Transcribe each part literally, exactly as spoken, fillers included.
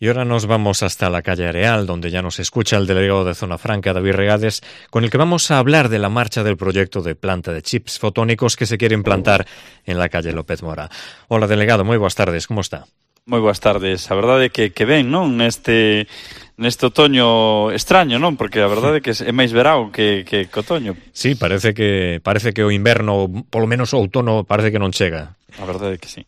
Y ahora nos vamos hasta la calle Areal, donde ya nos escucha el delegado de Zona Franca, David Regades, con el que vamos a hablar de la marcha del proyecto de planta de chips fotónicos que se quiere implantar en la calle López Mora. Hola, delegado, moi boas tardes, como está? Moi boas tardes. A verdade é que, que ven, non? Neste, neste otoño extraño, non? Porque a verdade é que é máis verao que, que, que otoño. Sí, parece que parece que o inverno, polo menos o outono, parece que non chega. A verdade é que sí.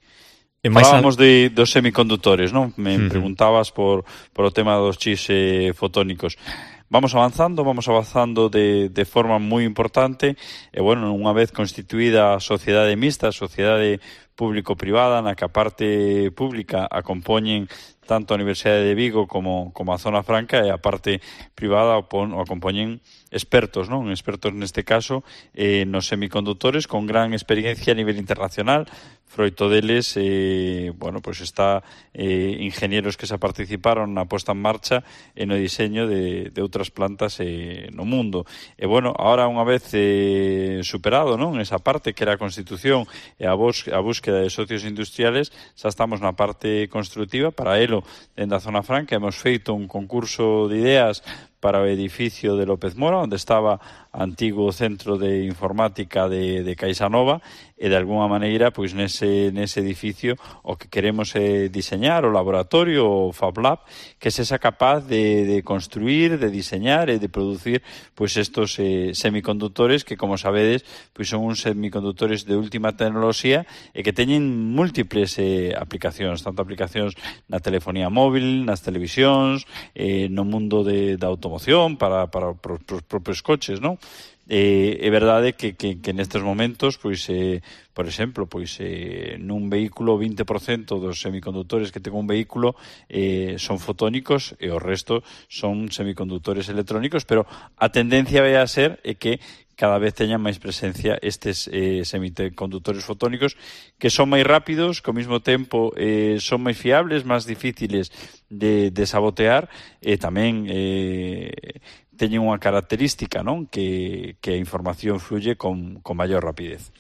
E Falábamos de, dos semicondutores, non? Me Uh-huh. preguntabas por, por o tema dos chips eh, fotónicos. Vamos avanzando, vamos avanzando de, de forma moi importante e, bueno, unha vez constituída a sociedade mixta, a sociedade público-privada, na que a parte pública a compoñen tanto a Universidade de Vigo como, como a Zona Franca e a parte privada o, pon, o compoñen expertos, non? Expertos neste caso eh, nos semicondutores con gran experiencia a nivel internacional. Froito deles, eh, bueno, pues está eh, ingenieros que se participaron na posta en marcha e no diseño de, de outras plantas eh, no mundo. E, bueno, ahora unha vez eh, superado, non? Esa parte que era a constitución e a, bus, a búsqueda de socios industriales, xa estamos na parte constructiva. Para elo, dentro da Zona Franca, hemos feito un concurso de ideas para o edificio de López Mora, onde estaba o antigo centro de informática de, de Caixa Nova, e de alguna maneira, pois nese, nese edificio o que queremos é diseñar o laboratorio, o Fab Lab, que sexa capaz de, de construir, de diseñar e de producir pois estos eh, semicondutores que, como sabedes, pois son uns semicondutores de última tecnoloxía e que teñen múltiples eh, aplicacións, tanto aplicacións na telefonía móvil, nas televisións, eh, no mundo de, da automoción, para, para os propios coches, non? Eh, é verdade que, que, que nestes momentos, pois, eh, por exemplo, pois, eh, nun vehículo, vinte por cento dos semicondutores que ten un vehículo eh, son fotónicos e o resto son semicondutores electrónicos, pero a tendencia vai a ser é que cada vez teñan máis presencia estes eh, semicondutores fotónicos que son máis rápidos, que ao mesmo tempo eh, son máis fiables, máis difíciles de, de sabotear e tamén eh, teñen unha característica, non? Que, que a información fluye con, con maior rapidez.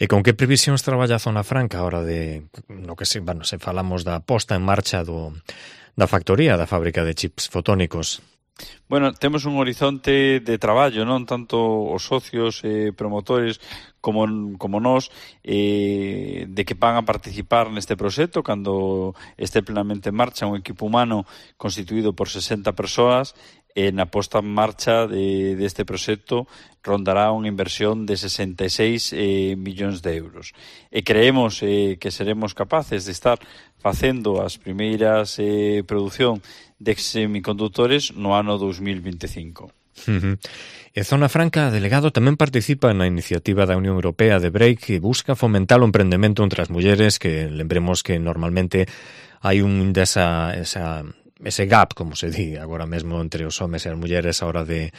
E con que previsións traballa a Zona Franca a hora de, no que se, bueno, se falamos da posta en marcha do, da factoría da fábrica de chips fotónicos? Bueno, temos un horizonte de traballo, non tanto os socios eh, promotores como, como nós, eh, de que van a participar neste proxecto cando este plenamente en marcha un equipo humano constituído por sesenta persoas. E na posta en marcha de, de este proxecto rondará unha inversión de sesenta e seis eh, millóns de euros. E creemos eh, que seremos capaces de estar facendo as primeiras eh, produción de semicondutores no ano dos mil vinte e cinco. Uh-huh. E Zona Franca, delegado, tamén participa na iniciativa da Unión Europea de Break que busca fomentar o emprendemento entre as mulleres, que lembremos que normalmente hai un desa... esa ese gap, como se di agora mesmo entre os homes e as mulleres a hora de,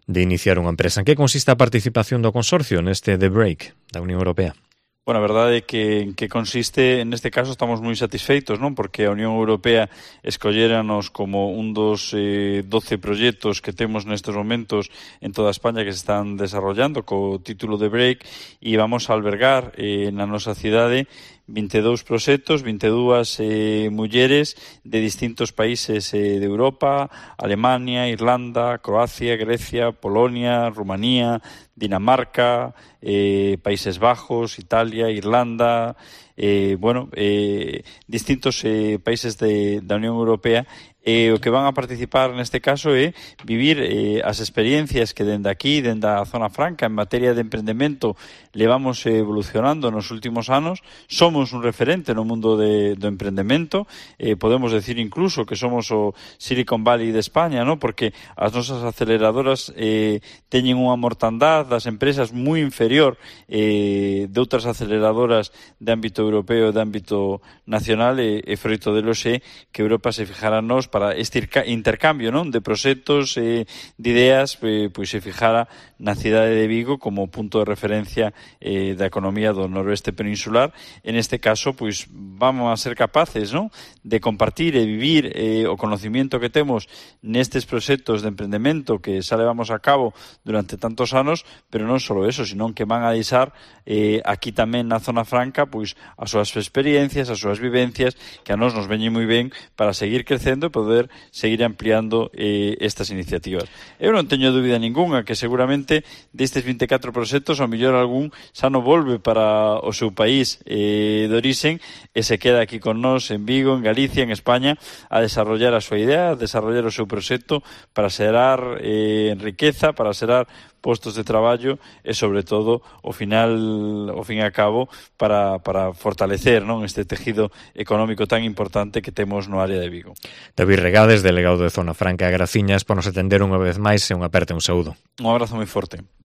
de iniciar unha empresa. En que consiste a participación do consorcio neste The Break da Unión Europea? Bueno, a verdade é que en que consiste, neste caso estamos moi satisfeitos, non? Porque a Unión Europea escolléranos como un dos eh, doce proxectos que temos nestes momentos en toda España que se están desarrollando co título de Break, e vamos a albergar eh, na nosa cidade vinte e dous proxectos, vinte e dúas eh, mulleres de distintos países eh, de Europa, Alemania, Irlanda, Croacia, Grecia, Polonia, Rumanía, Dinamarca, eh, Países Bajos, Italia, Irlanda, eh, bueno, eh, distintos eh, países de, da Unión Europea. E o que van a participar neste caso é vivir eh, as experiencias que dende aquí, dende a Zona Franca, en materia de emprendemento, levamos evolucionando nos últimos anos. Somos un referente no mundo de, do emprendemento, eh, podemos decir incluso que somos o Silicon Valley de España, ¿no? Porque as nosas aceleradoras eh, teñen unha mortandad das empresas moi inferior eh, de outras aceleradoras de ámbito europeo e de ámbito nacional, e, e froito de lo sé que Europa se fijara nos para este intercambio, non, de proxectos e eh, de ideas, eh, pois se fijara na cidade de Vigo como punto de referencia eh, da economía do noroeste peninsular. En este caso, pois vamos a ser capaces, non, de compartir e vivir eh, o conocimiento que temos nestes proxectos de emprendemento que xa levamos a cabo durante tantos anos, pero non só eso, sino que van a deixar eh, aquí tamén na Zona Franca pois as súas experiencias, as súas vivencias, que a nós nos veñen moi ben para seguir crecendo e poder seguir ampliando eh, estas iniciativas. Eu non teño dúbida ninguna que seguramente destes vinte e catro proxectos ao mellor algún xa non volve para o seu país eh, de orixen e se queda aquí con nós en Vigo, en Galicia, en España, a desarrollar a súa idea, a desarrollar o seu proxecto para xerar eh, riqueza, para xerar postos de traballo e, sobre todo, ao final, ao fin e a cabo, para, para fortalecer, non, este tejido económico tan importante que temos no área de Vigo. David Regades, delegado de Zona Franca, graciñas por nos atender unha vez máis e unha aperta un saúdo. Un abrazo moi forte.